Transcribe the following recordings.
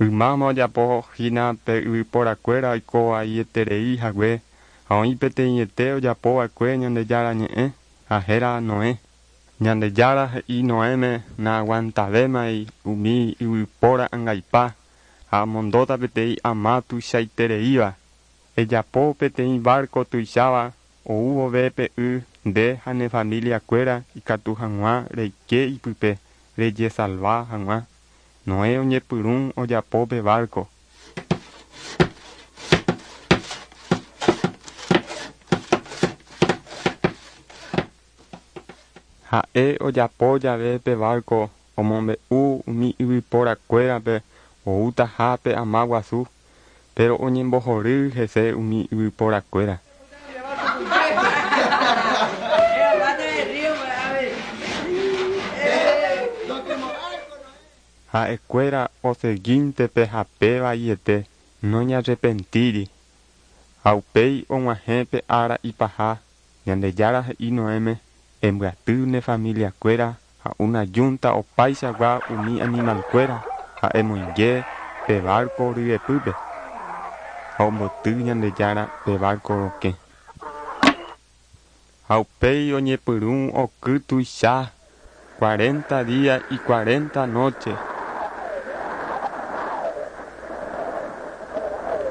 Ymáma ojapo hína pe yvyporakuéra oiko vaieterei hague ha oĩ peteĩete ojapova'ekue Ñandejára ñe'ẽ ha héra Noé. Ñandejára he'i Noéme naaguantavémai umi yvypóra angaipa ha amondóta peteĩ ama tuichaitereíva. Ejapo peteĩ barco tuicháva ou vove pe y nde ha ne familiakuéra ikatu hag̃ua reike ipype rejesalva hag̃ua. Noé oñepyrũ ojapo pe barco. Ha'e ojapo jave pe barco omombe'u umi yvyporakuérape outaha pe ama guasu, pero oñembohory hese umi yvyporakuéra. Ha'ekuéra oseguínte pe hape vaiete noñarrepentíri. Ha upéi og̃uahẽ pe ára ipaha Ñandejára he'i Noéme embyaty ne familiakuéra ha una yunta opaichagua umi animalkuéra ha emoinge pe barco ryepýpe. Ha omboty Ñandejára pe barco rokẽ. Ha upéi oñepyrũ oky tuicha 40 día y 40 noche.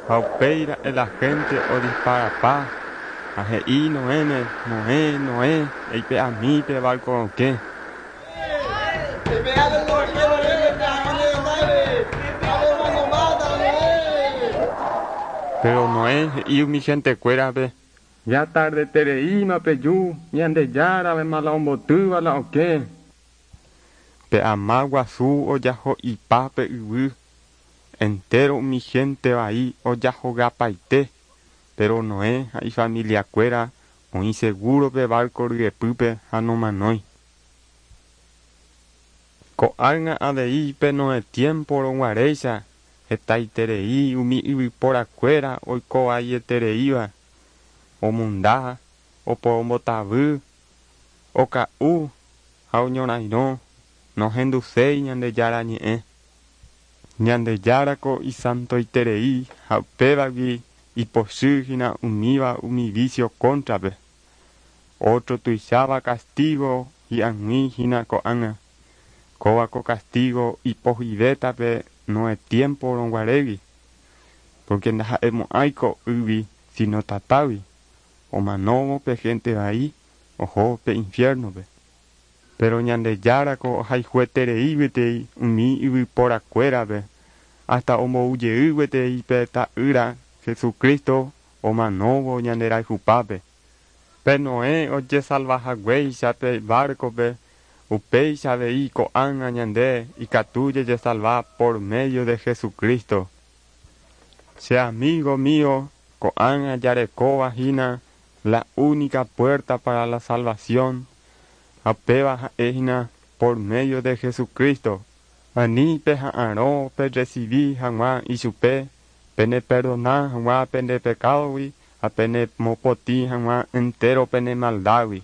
Ha upéi la gente odisparapa ha he'i Noéme, Noé, Noé, eipe'ami pe barco rokẽ. Pero Noé he'i umi gentekuérape Ya tardetereíma peju Ñandejára la ombotýva la okẽ. Pe ama guasu ojaho'ipa pe yvy. Entero umi gente vai ojahogapaite. Pero Noé ha ifamiliakuéra oĩ seguro pe barco ryepýpe ha nomanói. Ko'ág̃a avei pe Noé tiempo roguaréicha hetaiterei umi yvyporakuéra oiko vaietereíva omunda, oporombotavy, oka'u ha oñorairõ nohenduséi Ñandejára ñe'ẽ. Ñandejárako isantoiterei ha upévagui ipochy hína umíva umi vicio cóntrape. Otro tuicháva castigo hi'ag̃ui hína ko'ág̃a. Kóva ko castigo ipohyvétape Noé tiempo roguarégui. Porque ndaha'emo'ãiko yvy sino tatágui. Omanóvo pe gente vai oho pe infierno-pe. Pero Ñandejárako ohayhueterei gueteri umi yvyporakuérape hasta omboujey gueteri pe ta'ýra Jesucristo omanóvo ñanderayhupápe. Pe Noé ojesalvahaguéicha pe barco-pe upéicha avei ko'ág̃a ñande ikatu jejesalva por medio de Jesucristo. Che amigo mío ko'ág̃a jarekóva hína la única puerta para la salvación ha péva ha'ehína por medio de Jesucristo. Ani peha'arõ perecibi hag̃ua ichupe peneperdona hag̃ua pende pecadogui ha penemopotĩ hag̃ua entero pene maldagui.